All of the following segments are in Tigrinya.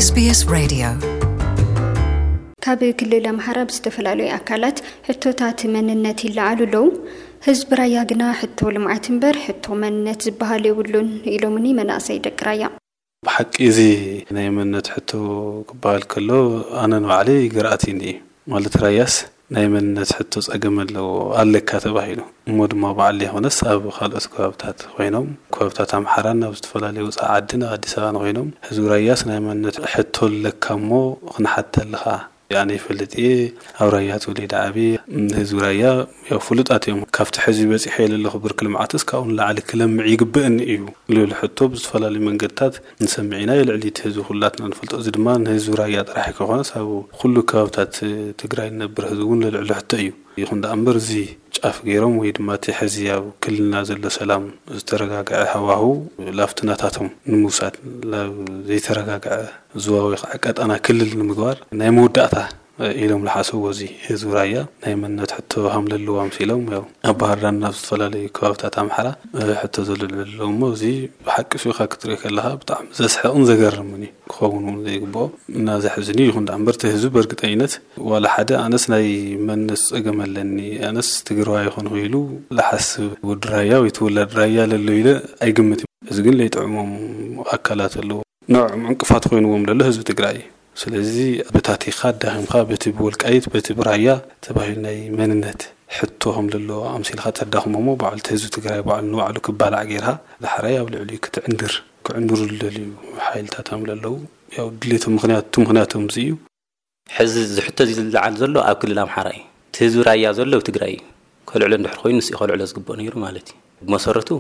SBS Radio ካብ ክልል ኣምሓራ ብዝተፈላለዩ ኣካላት ሕቶታት መንነት ይለዓሉ ኣለዉ። ህዝቢ ራያ ግና ሕቶ ልምዓት እምበር ሕቶ መንነት ዝበሃል የብሉን ኢሎምኒ መናእሰይ ደቂ ራያ። ብሓቂ እዚ ናይ መንነት ሕቶ ክበሃል ከሎ ኣነ ንባዕለይ ግርኣትኒ እዩ። ማለት ራያስ ናይ መንነት ሕቶ ጸገም ኣለዎ ኣለካ ተባሂሉ እሞ ድማ በዓል ዘይኮነስ ኣብ ካልኦት ከባብታት ኮይኖም ከባብታት ኣምሓራን ኣብ ዝተፈላለዩ ወፃኢ ዓድን ኣብ ኣዲስ ኣበባን ኮይኖም ህዝቢ ራያስ ናይ መንነት ሕቶ ኣለካ እሞ ክንሓተልኻ ኣነ ይፈልጥ እየ። ኣብ ራያ ተወሊደ ዓብየ። ህዝቢ ራያ ያው ፍሉጣት እዮም። ካብቲ ሕዚ በፂሐ የለለኹ ብርኪ ልምዓትስ ካብኡ ንላዕሊ ክለምዕ ይግበእኒ እዩ ልብል ሕቶ ብዝተፈላለዩ መንገድታት ንሰምዕ ኢና። ልዕሊ እቲ ህዝቢ ኩላትና ንፈልጦ። እዚ ድማ ንህዝቢ ራያ ጥራሕ ከይኮነስ ኣብ ኩሉ ከባብታት ትግራይ ንነብር ህዝቢ እውን ልዕሉ ሕቶ እዩ። ይኹን ደኣ እምበር እዚ ጫፍ ገይሮም ወይ ድማ እቲ ሕዚ ኣብ ክልልና ዘሎ ሰላም ዝተረጋግዐ ሃዋህው ላብቲ ናታቶም ንምውሳድ ላብ ዘይተረጋግዐ ዞባ ወይ ከዓ ቀጠና ክልል ንምግባር ናይ መወዳእታ ኢሎም ዝሓሰብዎ እዚ ህዝቢ ራያ ናይ መንነት ሕቶ ሃምለለዎ ኣምሲሎም ያው ኣብ ባህርዳር ናብ ዝተፈላለዩ ከባብታት ኣምሓራ ሕቶ ዘልዕሉ ኣለዉ እሞ እዚ ብሓቂ ሱኻ ክትርኢ ከለኻ ብጣዕሚ ዘስሕቕን ዘገርምን እዩ። ክኸውን እውን ዘይግብኦ እና ዘሕዝን እዩ። ይኹን ደኣ እምበር እቲ ህዝቢ በእርግጠኝነት ዋላ ሓደ ኣነስ ናይ መንነት ጸገም ኣለኒ ኣነስ ትግራዋይ ይኾንኩ ኢሉ ዝሓስብ ወዲ ራያ ወይ ትውላድ ራያ ለሎ ኢለ ኣይግምት። እዚ ግን ለይጥዕሞም ኣካላት ኣለዉ። ንዕኦም ዕንቅፋት ኮይንዎም ዘሎ ህዝቢ ትግራይ እዩ። ስለዚ በታቲኻ ኣዳኺምካ በቲ ብወልቃይት በቲ ብራያ ተባሂሉ ናይ መንነት ሕቶ ከም ዘሎ ኣምሲልካ ተዳኽሞ እሞ ባዕሉ እቲ ህዝቢ ትግራይ ባዕሉ ንባዕሉ ክባላዕ ጌርካ ዳሕራይ ኣብ ልዕሊኡ ክትዕንድር ክዕንድሩ ዝደልዩ ሓይልታት ከም ዘለዉ ያው ድሌቶም ምክንያት እቲ ምክንያቶም እዚ እዩ። ሕዚ ዝሕቶ እዚ ዝለዓል ዘሎ ኣብ ክልል ኣምሓራ እዩ። እቲ ህዝቢ ራያ ዘሎ ኣብ ትግራይ እዩ። ከልዕሎ እንድሕር ኮይኑ ንስኡ ከልዕሎ ዝግብኦ ነይሩ ማለት እዩ። ብመሰረቱ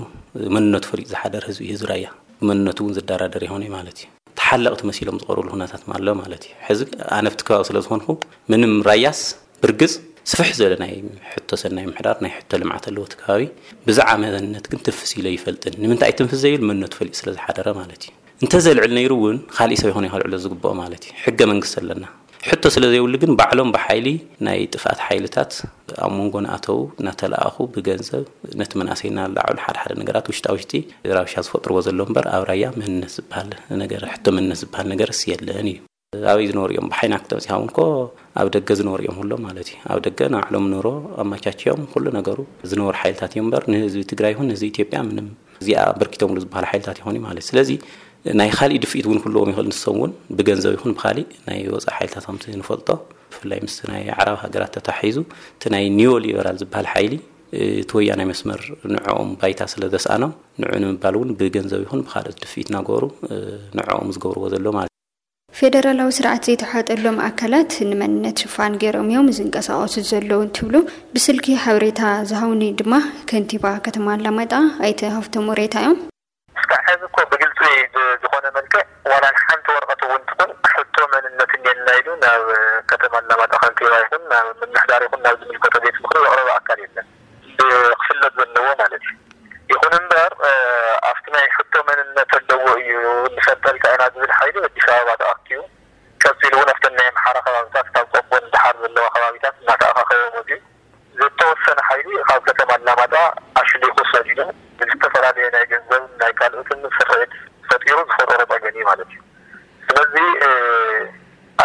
መንነቱ ፈሊጡ ዝሓደር ህዝቢ እዩ ህዝቢ ራያ። ብመንነቱ እውን ዝደራደር ይኾነ ማለት እዩ። ተሓለቕቲ መሲሎም ዝቐርብሉ ኩነታት ኣሎ ማለት እዩ። ሕዚ ኣነ ኣብቲ ከባቢ ስለ ዝኾንኩ ምንም ራያስ ብርግጽ ስፍሕ ዝበለ ናይ ሕቶ ሰናይ ምሕዳር ናይ ሕቶ ልምዓት ኣለዎ እቲ ከባቢ። ብዛዕባ መንነት ግን ትፍስ ኢለ ይፈልጥን። ንምንታይ ትንፍስ ዘይብል መንነቱ ፈሊጡ ስለ ዝሓደረ ማለት እዩ። እንተዘልዕል ነይሩ እውን ካሊእ ሰብ ይኾነ ከልዕሎ ዝግብኦ ማለት እዩ። ሕገ መንግስቲ ኣለና። ሕቶ ስለ ዘይብሉ ግን ባዕሎም ብሓይሊ ናይ ጥፍኣት ሓይልታት ኣብ መንጎ ንኣተው እናተለኣኹ ብገንዘብ ነቲ መናእሰይ እናላዕሉ ሓደ ሓደ ነገራት ውሽጣ ውሽጢ ራብሻ ዝፈጥርዎ ዘሎ እምበር ኣብ ራያ መንነት ዝበሃል ነገር ሕቶ መንነት ዝበሃል ነገርስ የለን እዩ። ኣበይ ዝነበሩ እዮም ብሓይና ክተብፂኻ እውን ኮ ኣብ ደገ ዝነበሩ እዮም ኩሎም ማለት እዩ። ኣብ ደገ ንባዕሎም ኑሮ ኣመቻችዮም ኩሉ ነገሩ ዝነበሩ ሓይልታት እዮም እምበር ንህዝቢ ትግራይ ይኹን ንህዝቢ ኢትዮጵያ ምንም እዚኣ ኣበርኪቶምሉ ዝበሃል ሓይልታት ይኾኑ ማለት እዩ። ስለዚ ናይ ካሊእ ድፍኢት እውን ክህልዎም ይኽእል። ንሶም እውን ብገንዘብ ይኹን ብካሊእ ናይ ወፃኢ ሓይልታት ከምቲ ንፈልጦ ብፍላይ ምስ ናይ ኣዕራብ ሃገራት ተታሒዙ እቲ ናይ ኒዮ ሊበራል ዝበሃል ሓይሊ እቲ ወያናይ መስመር ንዕኦም ባይታ ስለ ዘስኣኖም ንዑ ንምባል እውን ብገንዘብ ይኹን ብካልኦት ድፍኢት እናገበሩ ንዕኦም ዝገብርዎ ዘሎ ማለት እዩ። ፌደራላዊ ስርዓት ዘይተሓጠሎም ኣካላት ንመንነት ሽፋን ገይሮም እዮም ዝንቀሳቐሱ ዘለዉ እንትብሉ ብስልኪ ሓበሬታ ዝሃውኒ ድማ ከንቲባ ከተማ ኣላማጣ ኣይተ ሃፍቶም ወሬታ እዮም። እስካብ ሕዚ እኮ ብግልፂ ብዝኾነ መልክዕ ዋላ ሓንቲ ወረቐት እውን ትኹን ሕቶ መንነት እኒኤና ኢሉ ናብ ከተማ ኣላማጣ ከንቲባ ይኹን ናብ ምምሕዳር ይኹን ናብ ዝምልከቶ ቤት ምኽሪ ዘቕረበ ኣካል የለን። ክፍለጥ ዘለዎ ማለት እዩ። ይኹን እምበር ኣብቲ ናይ ሕቶ መንነት ኣለዎ እዩ ንፈልጠልካ ኢና ዝብል ሓይሊ ኣዲስ ኣበባ ተኣኪቡ ቀፂሉ እውን ኣብተን ናይ ኣምሓራ ከባብታት ካብ ቆቦ ንደሓር ዘለዋ ከባቢታት እናተኣኻኸበ መፅዩ ዝተወሰነ ሓይሊ ካብ ከተማ ኣላማጣ ኣሽሊኹ ሰዲዱ ብዝተፈላለየ ናይ ገንዘብ ናይ ካልኦትን ስርሒት ፈጢሩ ዝፈጠሮ ፀገም እዩ ማለት እዩ። ስለዚ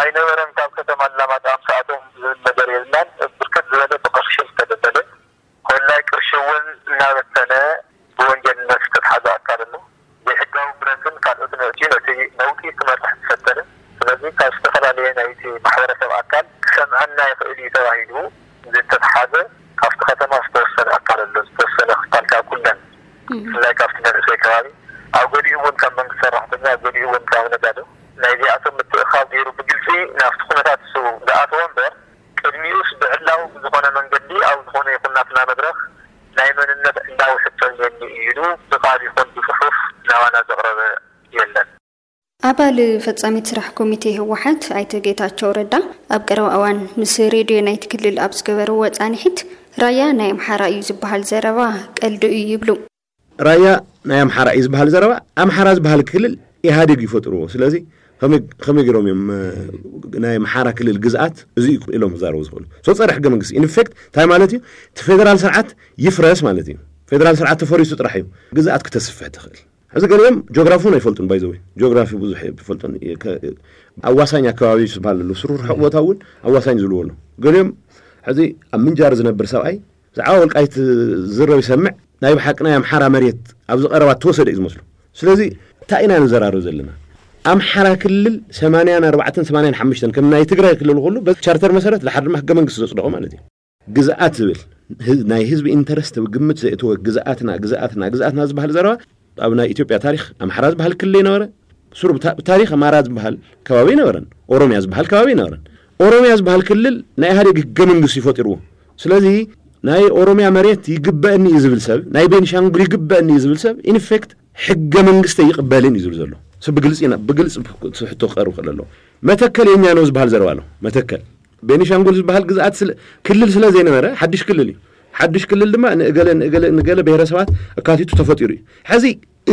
ኣይነበረን ካብ ከተማ ኣላማጣ ኣምሳኣቶም ዝብል ነገር የብልናን። ብርክት ዝበለ ብቅርሺ ዝተደለለ ኮላይ ቅርሺ እውን እናበተነ ብወንጀልነት ዝተትሓዘ ኣካል ኣሎ። ዘይሕጋዊ ብረትን ካልኦትን ኣእትዩ ነቲ ነውጢ ክመርሕ ዝፈተነ ስለዚ ካብ ዝተፈላለየ ናይቲ ማሕበረሰብ ኣካል ክሰምዐና ይኽእል እዩ ተባሂሉ ዝተትሓዘ ካብቲ ከተማ ዝተወሰነ ኣካል ኣሎ። ዝተወሰነ ክፋል ካብ ኩለን ብፍላይ ካብቲ መንእሰይ ከባቢ ኣብ ገሊኡ እውን ካብ መንግስቲ ሰራሕተኛ ኣብ ገሊኡ እውን ካብ ነጋዶ ናይዚኣቶም ምትእኻብ ገይሩ ብግልፂ ናብቲ ኩነታት እሱ ዝኣተወ እምበር ቅድሚኡስ ብዕላዊ ብዝኾነ መንገዲ ኣብ ዝኾነ ይኹን ናትና መድረኽ ናይ መንነት ዕላዊ ሕቶ እኒአኒ እዩ ኢሉ ብቃል ይኹን ብፅሑፍ ናባና ዘቕረበ የለን። ኣባል ፈጻሚት ስራሕ ኮሚቴ ህወሓት ኣይተ ጌታቸው ረዳ ኣብ ቀረባ እዋን ምስ ሬድዮ ናይቲ ክልል ኣብ ዝገበርዎ ፃንሒት ራያ ናይ ኣምሓራ እዩ ዝበሃል ዘረባ ቀልዲ እዩ ይብሉ። ራያ ናይ ኣምሓራ እዩ ዝበሃል ዘረባ ኣምሓራ ዝበሃል ክልል ኢህኣዴግ ይፈጥርዎ። ስለዚ ከመይ ገይሮም እዮም ናይ ኣምሓራ ክልል ግዝኣት እዚ ኢሎም ክዛረቡ ዝኽእሉ? ሶ ጸረ ሕገ መንግስቲ ኢንፌክት እንታይ ማለት እዩ? እቲ ፌደራል ስርዓት ይፍረስ ማለት እዩ። ፌደራል ስርዓት ተፈሪሱ ጥራሕ እዩ ግዝኣት ክተስፍሕ ትኽእል። ሕዚ ገሊኦም ጂኦግራፊ እውን ኣይፈልጡን። ባይዘወይ ጂኦግራፊ ብዙሕ ይፈልጡን። ኣዋሳኝ ኣከባቢ ዝበሃል ኣሎ፣ ስሩር ርሑቕ ቦታ እውን ኣዋሳኝ ዝብልዎ ኣሎ። ገሊኦም ሕዚ ኣብ ምንጃር ዝነብር ሰብኣይ ብዛዕባ ወልቃይት ዝረብ ይሰምዕ፣ ናይ ብሓቂ ናይ ኣምሓራ መሬት ኣብዚ ቀረባ ተወሰደ እዩ ዝመስሉ። ስለዚ እንታይ ኢና ንዘራረብ ዘለና? ኣምሓራ ክልል ሰማንያን ኣርባዕተን ሰማንያን ሓሙሽተን ከም ናይ ትግራይ ክልል ኩሉ በዚ ቻርተር መሰረት ድሓር ድማ ህገ መንግስቲ ዘፅደቑ ማለት እዩ። ግዝኣት ዝብል ናይ ህዝቢ ኢንተረስት ግምት ዘእተወ ግዝኣትና ግዝኣትና ግዝኣትና ዝበሃል ዘረባ ኣብ ናይ ኢትዮጵያ ታሪክ ኣምሓራ ዝበሃል ክልል ይነበረ። ስሩ ብታሪክ ኣማራ ዝበሃል ከባቢ ይነበረን፣ ኦሮሚያ ዝበሃል ከባቢ ይነበረን። ኦሮሚያ ዝበሃል ክልል ናይ ኢህኣዴግ ህገ መንግስቲ ይፈጢርዎ። ስለዚ ናይ ኦሮሚያ መሬት ይግበእኒ እዩ ዝብል ሰብ፣ ናይ ቤኒሻንጉል ይግበእኒ እዩ ዝብል ሰብ ኢንፌክት ሕገ መንግስቲ ይቕበልን እዩ ዝብል ዘሎ። ብግልፂ ብግልፂ ሕቶ ክቀርብ ክእል ኣለዎ። መተከል የኛ ነው ዝበሃል ዘረባ ኣሎ። መተከል ቤኒሻንጉል ዝበሃል ግዝኣት ክልል ስለ ዘይነበረ ሓድሽ ክልል እዩ። ሓድሽ ክልል ድማ ንእገለ ንእገለ ንገለ ብሄረሰባት ኣካቲቱ ተፈጢሩ እዩ። ሕዚ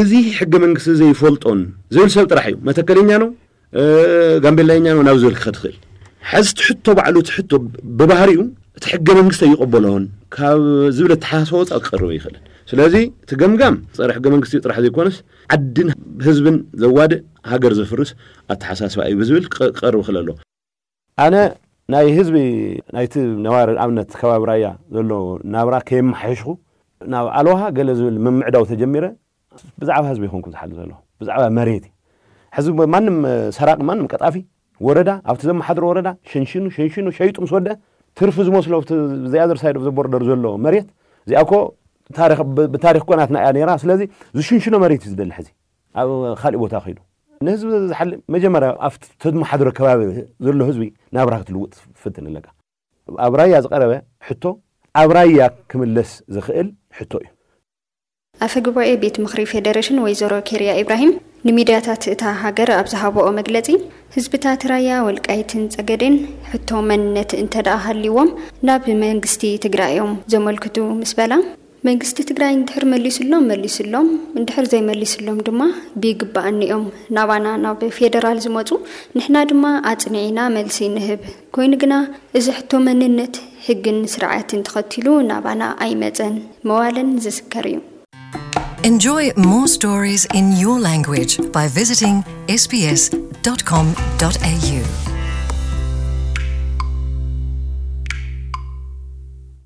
እዚ ሕገ መንግስቲ ዘይፈልጦን ዝብል ሰብ ጥራሕ እዩ መተከለኛ ነው ጋምቤላኛ ነው ናብ ዝብል ክኸድ ክእል። ሕዚ ትሕቶ ባዕሉ ትሕቶ ብባህሪኡ እቲ ሕገ መንግስቲ ኣይቀበሎን ካብ ዝብል ኣተሓሳስባ ወፃእ ክቀርብ ይኽእልን። ስለዚ እቲ ገምጋም ፀረ ሕገ መንግስቲ ጥራሕ ዘይኮነስ ዓድን ህዝብን ዘዋድእ ሃገር ዘፍርስ ኣተሓሳስባ እዩ ብዝብል ክቀርብ ክእል ኣለዎ። ኣነ ናይ ህዝቢ ናይቲ ነባሪ ኣብነት ከባቢ ራያ ዘሎ ናብራ ከየመሓየሽኩ ናብ ኣለውሃ ገለ ዝብል ምምዕዳው ተጀሚረ ብዛዕባ ህዝቢ ይኹንኩ ዝሓል ዘሎ ብዛዕባ መሬት እዩ። ሕዚ ማንም ሰራቂ ማንም ቀጣፊ ወረዳ ኣብቲ ዘመሓድሮ ወረዳ ሸንሽኑ ሸንሽኑ ሸይጡ ምስ ወደ ትርፊ ዝመስሎ ኣብቲ the other side of the border ዘሎ መሬት እዚኣ እኮ ብታሪክ ኮናትና እያ ነራ። ስለዚ ዝሽንሽኖ መሬት እዩ ዝደሊ ሕዚ ኣብ ካሊእ ቦታ ከይዱ ንህዝቢ ዝሓል መጀመርያ ኣብቲ ተመሓድሮ ከባቢ ዘሎ ህዝቢ ናብራ ክትልውጥ ትፍትን ኣለካ። ኣብ ራያ ዝቀረበ ሕቶ ኣብ ራያ ክምለስ ዝኽእል ሕቶ እዩ። ኣፈ ጉባኤ ቤት ምኽሪ ፌደሬሽን ወይዘሮ ኬርያ ኢብራሂም ንሚድያታት እታ ሃገር ኣብ ዝሃበኦ መግለፂ ህዝብታት ራያ ወልቃይትን ፀገዴን ሕቶ መንነት እንተደኣ ሃልይዎም ናብ መንግስቲ ትግራይ እዮም ዘመልክቱ ምስ በላ መንግስቲ ትግራይ እንድሕር መሊሱሎም መሊሱሎም እንድሕር ዘይመሊሱሎም ድማ ብይግባኣኒ እዮም ናባና ናብ ፌደራል ዝመፁ ንሕና ድማ ኣፅኒዕና መልሲ ንህብ ኮይኑ ግና እዚ ሕቶ መንነት ህግን ስርዓትን ተኸቲሉ ናባና ኣይመፀን መዋለን ዝስከር እዩ። Enjoy more stories in your language by visiting S B S dot com dot A U.